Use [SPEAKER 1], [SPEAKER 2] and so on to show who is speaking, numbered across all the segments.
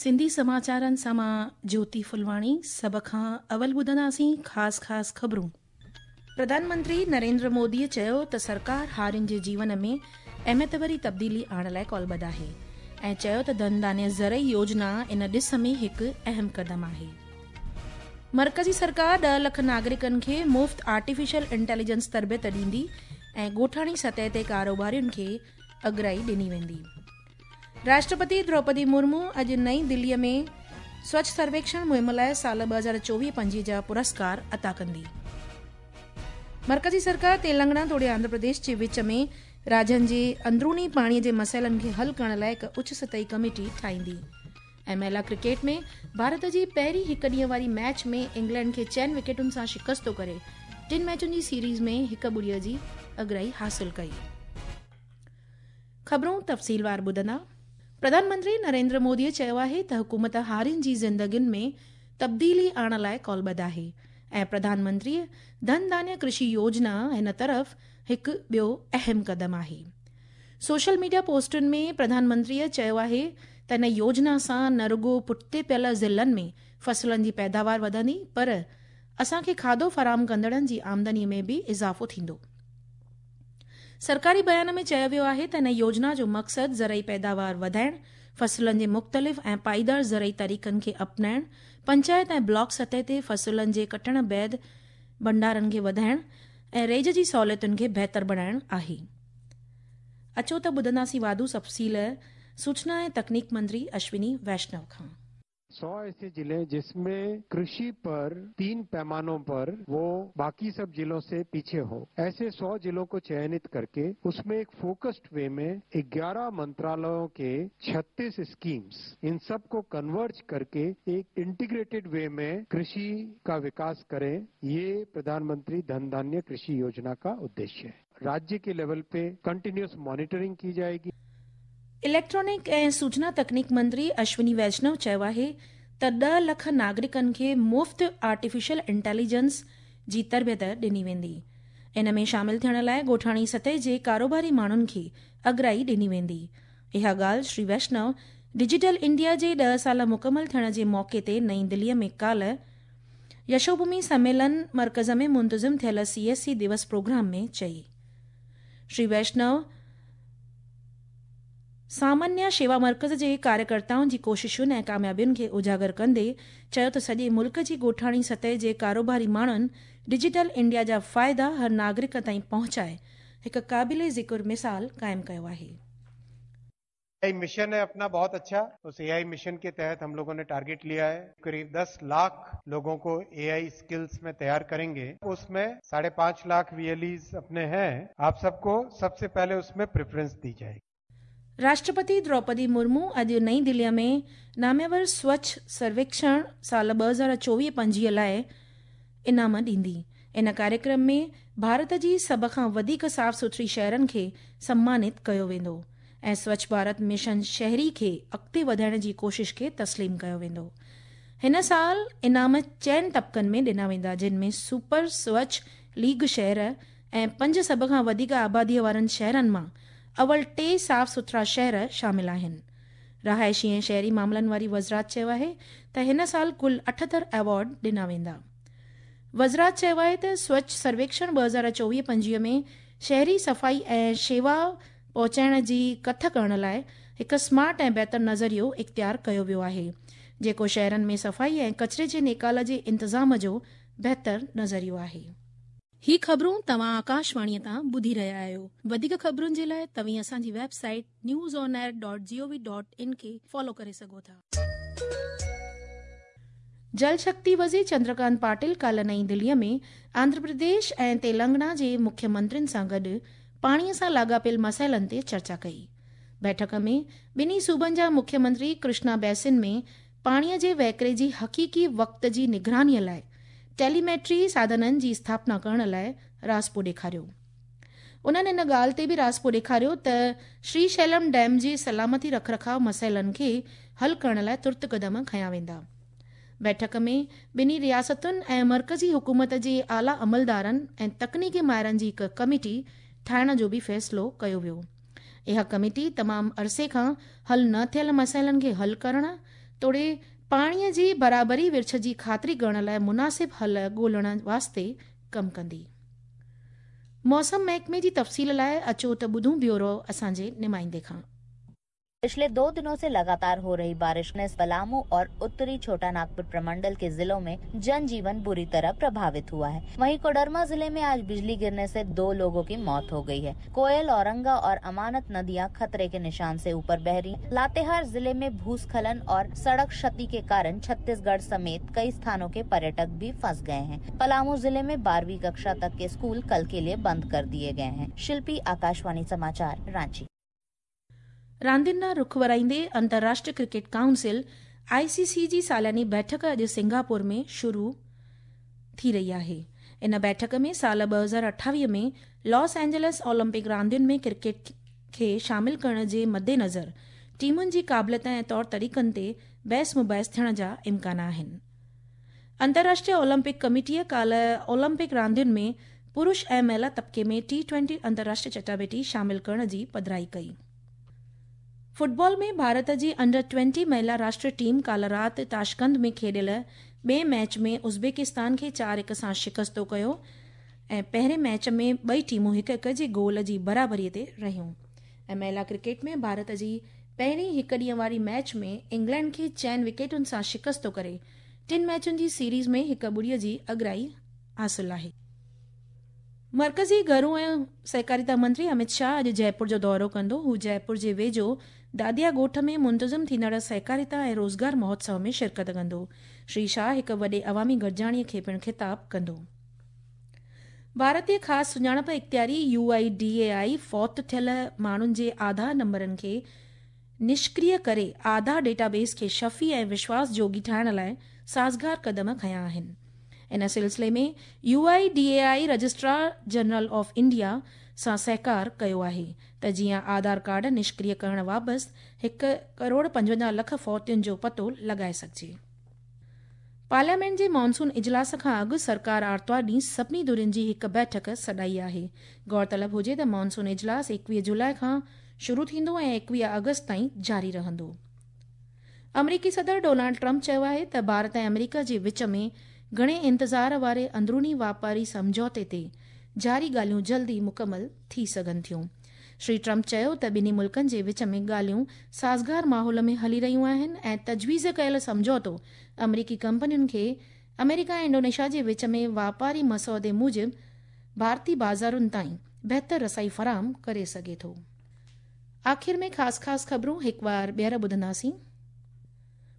[SPEAKER 1] سنڌي سماچارن سان مان جيوتي ڦلواڻي سڀ کان اول ٻڌنداسين خاص خاص خبرون. پرڌان منتري نريندر مودي چيو ته سرڪار هارين جي جيون ۾ اهميت ڀري تبديلي آڻڻ لاء ڪالبڌ آهي ۽ چيو ته ڌن ڌانيه زرعي يوجنا ان ڏس ۾ هڪ اهم قدم آهي. مرڪزي سرڪار ڏهه لک ناگرڪن کي مفت آرٽيفيشل انٽيليجنس تربيت ڏيندي ۽ ڳوٺاڻي سطح تي ڪاروبارين کي اڳرائي ڏني ويندي. راشٽرپتي دروپدي مرمو اڄ نئين دلي ۾ سوڇ سرويڪشڻ مهم لاء سال 2024-25 جا پرسڪار عطا ڪندي. مرڪزي سرڪار تيلنگانا توڙي آنڌرا پرديش جي وچ ۾ راجين جي اندروني پاڻي جي مسئلن کي حل ڪرڻ لاء هڪ اچ سطحي ڪميٽي ٺاهيندي. ۽ مهلا ڪرڪيٽ ۾ ڀارت جي پهرين هڪ ڏينهن واري ميچ ۾ انگلينڊ کي چئن وڪيٽن سان شڪست ڪري ٽن ميچن جي سيريز ۾ 1-0 جي اڳرائي حاصل ڪئي. خبرون تفصيلوار ٻڌندا. پرڌان منتري نريندر مودي چيو آهي ته حڪومت هارين جي زندگين ۾ تبديلي آڻڻ لاء ڪالبڌ آهي ۽ پرڌان منتري ڌن ڌانيه ڪرشي يوجنا هن طرف هڪ ٻيو اهم قدم آهي. سوشل ميڊيا پوسٽن ۾ پرڌان منتري چيو آهي ته هن يوجنا سان نه رڳو پٺتي پيل ضلعن ۾ فصلن جي پيداوار وڌندي پر اسان کي کاڌو فراهم ڪندڙن جي آمدني ۾ به اضافو ٿيندو. سرڪاري بيان ۾ چيو ويو آهي ته هن يوجنا جو مقصد زرعي پيداوار وڌائڻ، فصلن جي مختلف ۽ پائيدار زرعي طريقن کي اپنائڻ، پنچائت ۽ بلاڪ سطح تي فصلن جي ڪٽڻ بعد ڀنڊارن کي وڌائڻ ۽ ريج جي سهوليتن کي بهتر بڻائڻ آهي. اچو ته ٻڌنداسين واڌو تفصيل سوچنا ۽ تڪنيڪ منتري اشوني ويشنو کان.
[SPEAKER 2] 100 ऐसे जिले जिसमें कृषि पर 3 पैमानों पर वो बाकी सब जिलों से पीछे हो, ऐसे 100 जिलों को चयनित करके उसमें एक फोकस्ड वे में 11 मंत्रालयों के 36 स्कीम्स, इन सब को कन्वर्ज करके एक इंटीग्रेटेड वे में कृषि का विकास करें, ये प्रधानमंत्री धन धान्य कृषि योजना का उद्देश्य है। राज्य के लेवल पे कंटिन्यूअस मॉनिटरिंग की जाएगी।
[SPEAKER 1] इलेक्ट्रॉनिक ऐं सूचना तकनीक मंत्री अश्विनी वैष्णव चयो आहे ته 10 لک ناگرڪن کي مفت آرٽيفيشل انٽيليجنس جي تربيت ڏني ويندي. ان ۾ شامل ٿيڻ لاء ڳوٺاڻي سطح جي ڪاروباري ماڻهن کي اڳرائي ڏني ويندي. اها ڳالهه شري ويشنو ڊجيٽل انڊيا جي 10 سال مڪمل ٿيڻ جي موقعي تي نئين دلي ۾ ڪالهه يشوڀومي سميلن مرڪز ۾ منتظم ٿيل سي ايس سي دوس پروگرام ۾ چئي. شري ويشنو سامانيه شيوا مرڪز جي ڪاريڪرتائن جي ڪوششن ۽ ڪاميابين کي اجاگر ڪندي چيو ته سڄي ملڪ جي ڳوٺاڻي سطح جي ڪاروباري ماڻهن ڊجيٽل انڊيا جا فائدا هر ناگرڪ تائين پهچائي هڪ قابل ذڪر مثال قائم ڪيو آهي.
[SPEAKER 2] اي I mission है अपना बहुत अच्छा, उस ए I mission के तहत हम लोगों ने टारगेट लिया है करीब 10 लाख लोगों को ए I skills में तैयार करेंगे। उसमें 5.5 लाख वी एल ईज अपने हैं, आप सबको सबसे पहले उसमें प्रेफरेंस दी जाएगी।
[SPEAKER 1] राष्ट्रपति द्रौपदी मुर्मू अॼु नई दिल्लीअ में नामेवर स्वच्छ सर्वेक्षण साल 2024-25 लाइ इनाम ॾींदी। इन कार्यक्रम में भारत जी सभ खां वधीक साफ़ सुथरी शहरनि खे सम्मानित कयो वेंदो ऐं स्वच्छ भारत मिशन शहरी खे अॻिते वधाइण जी कोशिश खे तस्लीम कयो वेंदो। हिन साल इनाम चइनि तबकनि में ॾिना वेंदा, जिन में सुपर स्वच्छ लीग शहर ऐं 5 सभ खां वधीक आबादीअ वारनि शहरनि मां अवल 3 साफ़ सुथरा शहर शामिल आहिनि। रहाइशी ऐं शहरी मामलनि वारी वज़ारत चयो आहे त हिन साल कुल 78 अवॉर्ड ॾिना वेंदा। वज़ारत चयो आहे त स्वच्छ सर्वेक्षण 2024-25 में शहरी सफ़ाई ऐं शेवा पहुचाइण जी कथ करण लाइ हिकु स्मार्ट ऐं बहितर नज़रियो इख़्तियार कयो वियो आहे, जेको शहरनि में सफ़ाई ऐं कचरे जे निकाल जे इंतज़ाम जो बहितर नज़रियो आहे। ही ख़बरूं तव्हां आकाशवाणीअ तां ॿुधी रहिया आहियो। वधीक ख़बरुनि जे लाइ तव्हीं असांजी वेबसाइट newsonair.gov.in खे फॉलो करे सघो था। जल शक्ति वज़ीर चंद्रकांत पाटिल काल्ह नई दिल्लीअ में आंध्र प्रदेश ऐं तेलंगाना जे मुख्यमंत्रियुनि सां गॾु पाणीअ सां लाॻापियल मसइलनि ते चर्चा कई। बैठक में ॿिन्ही सूबनि जा मुख्यमंत्री कृष्णा बेसिन में पाणीअ जे वहिकिरे जी हक़ीक़ी वक़्त जी निगरानीअ लाइ टेलीमेट्री साधननि जी स्थापना करण लाइ राज़पो ॾेखारियो। उन्हनि इन ॻाल्हि ते बि राज़पो ॾेखारियो त श्रीशैलम डैम जे सलामती रखरखाव मसइलनि खे हल करण लाइ तुर्त क़दम खयां वेंदा। बैठक में ॿिन्ही रियासतुनि ऐं मर्कज़ी हुकूमत जे आला अमलदारनि ऐं तकनीकी माहिरनि जी हिकु कमेटी ठाहिण जो बि फ़ैसिलो कयो वियो। इहा कमेटी तमामु अरसे खां हल न थियल मसइलनि खे हल करण, توڙي پاڻيء جي برابري ورڇ جي خاطري ڪرڻ لاء مناسب حل ڳولڻ واسطي ڪم ڪندي. موسم محڪمي جي تفصيل لاء اچو ته ٻڌون بيورو اسان جي نمائندي کان.
[SPEAKER 3] पिछले 2 दिनों से लगातार हो रही बारिश ने पलामू और उत्तरी छोटा नागपुर प्रमंडल के जिलों में जनजीवन बुरी तरह प्रभावित हुआ है। वहीं कोडरमा जिले में आज बिजली गिरने से 2 लोगों की मौत हो गई है। कोयल, औरंगा और अमानत नदियां खतरे के निशान से ऊपर बह रही हैं। लातेहार जिले में भूस्खलन और सड़क क्षति के कारण छत्तीसगढ़ समेत कई स्थानों के पर्यटक भी फंस गए हैं। पलामू जिले में 12वीं कक्षा तक के स्कूल कल के लिए बंद कर दिए गए हैं। शिल्पी, आकाशवाणी समाचार, रांची।
[SPEAKER 1] रांदियुनि ॾांहुं रुख वराईंदे अंतर्राष्ट्रीय क्रिकेट काउंसिल आईसीसी जी सालानी बैठक अॼु सिंगापुर में शुरू थी रही आहे। इन बैठक में साल 2028 में लॉस एंजल्स ओलंपिक रांदियुनि में क्रिकेट खे शामिल करण जे मद्देनज़र टीमुनि जी क़ाबिलियत ऐं तौर तरीक़नि ते बहस मुबाहिस थियण जा इम्कान आहिनि। अंतर्राष्ट्रीय ओलंपिक कमेटीअ काल्ह ओलंपिक रांदियुनि में पुरुष ऐं महिला तबके में टी20 अंतर्राष्ट्रीय चटाबेटी शामिल करण जी पधराई कई। फुटबॉल में भारत जी अंडर 20 महिला राष्ट्रीय टीम काल्ह राति ताशकंद में खेॾियल ॿिए मैच में उज़्बेकिस्तान खे 4-1 सां शिकस्तो कयो ऐं पहिरें मैच में ॿई टीमूं 1-1 जे गोल जी बराबरीअ ते रहियूं। ऐं महिला क्रिकेट में भारत जी पहिरीं हिकु ॾींहं वारी मैच में इंग्लैंड खे 4 विकेटुनि सां शिकस्तो करे 3 मैचुनि जी सीरीज़ में 1-0 जी अॻिराई हासिल आहे। मर्कज़ी घरू ऐं सहकारिता मंत्री अमित शाह अॼु जयपुर जो दौरो कंदो। हू जयपुर जे वेझो दादिया ॻोठ में मुंतज़िम थींदड़ सहकारिता ऐं रोज़गार महोत्सव में शिरकत कंदो। श्री शाह हिकु वॾे अवामी गॾिजाणीअ खे पिणु ख़िताब कंदो। भारतीय ख़ासि सुञाणप इख़्तियारी UIDAI फौत थियल माण्हुनि जे आधार नंबरनि खे निष्क्रिय करे आधार डेटाबेस खे शफ़ी ऐं विश्वास जोगी ठाहिण लाइ साज़गार क़दम खयां आहिनि। इन सिलसिले में UIDAI registrar general of India सां सहकार कयो आहे त जीअं आधार कार्ड निष्क्रिय करण वाबति 1,55,00,000 फौतियुनि जो पतो लॻाए सघिजे। पार्लियामेंट जे मानसून इजलास खां अॻु सरकार आरतवार ॾींहुं सभिनी धुरियुनि जी हिकु बैठक सॾाई आहे। गौरतलब हुजे त मानसून इजलास 21 जुलाई खां शुरू थींदो ऐं 21 अगस्त ताईं जारी रहंदो। अमरीकी सदर डोनाल्ड ट्रंप चयो आहे त भारत ऐं अमरीका जे विच में घणे इंतज़ार वारे अंदरूनी वापारी सम्झौते ते जारी ॻाल्हियूं जल्दी मुकमल थी सघनि थियूं। श्री ट्रंप चयो त ॿिन्ही मुल्कनि जे विच में ॻाल्हियूं साज़गार माहौल में हली रहियूं आहिनि ऐं तजवीज़ कयल सम्झौतो अमरीकी कंपनियुनि खे अमेरिका ऐं इंडोनेशिया जे विच में वापारी मसौदे मूजिबि भारतीय बाज़ारुनि ताईं बहितर रसाई फराहम करे सघे थो। आख़िर में ख़ासि ख़ासि ख़बरूं हिकु बार ॿीहर ॿुधंदासीं।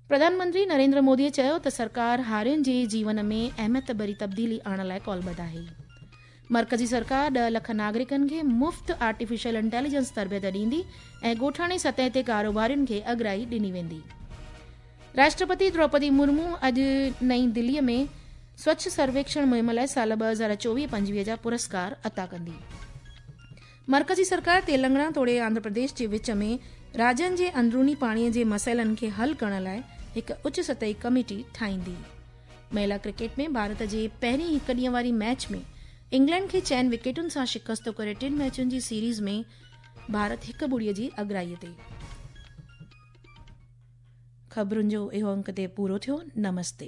[SPEAKER 1] प्रधानमंत्री नरेंद्र मोदीअ चयो त सरकार हारियुनि जे जीवन में अहमियत भरी तब्दीली आणण लाइ कॉलबद्ध आहे। मर्कज़ी सरकार 10 लख नागरिकनि खे मुफ़्त आर्टिफिशियल इंटेलिजेंस तरबियत ॾींदी ऐं ॻोठाणे सतह ते कारोबारियुनि खे अॻिराई ॾिनी वेंदी। राष्ट्रपति द्रौपदी मुर्मू अॼु नई दिल्लीअ में स्वच्छ सर्वेक्षण मुहिम लाइ साल 2024-25 जा पुरस्कार अता कंदी। मर्कज़ी सरकार तेलंगाना तोड़े आंध्र प्रदेश जे विच में राज्यनि जे अंदरूनी पाणीअ जे मसइलनि खे हल करण लाइ हिकु उच्च सतही कमेटी ठाहींदी। महिला क्रिकेट में भारत जे पहिरीं हिकु ॾींहं वारी मैच में इंग्लैंड खे 4 विकेटुनि सां शिकस्तो करे 3 मैचुनि जी सीरीज़ में भारत 1-0 जी अॻिराईअ ते। ख़बरुनि जो इहो अंक ते पूरो थियो। नमस्ते।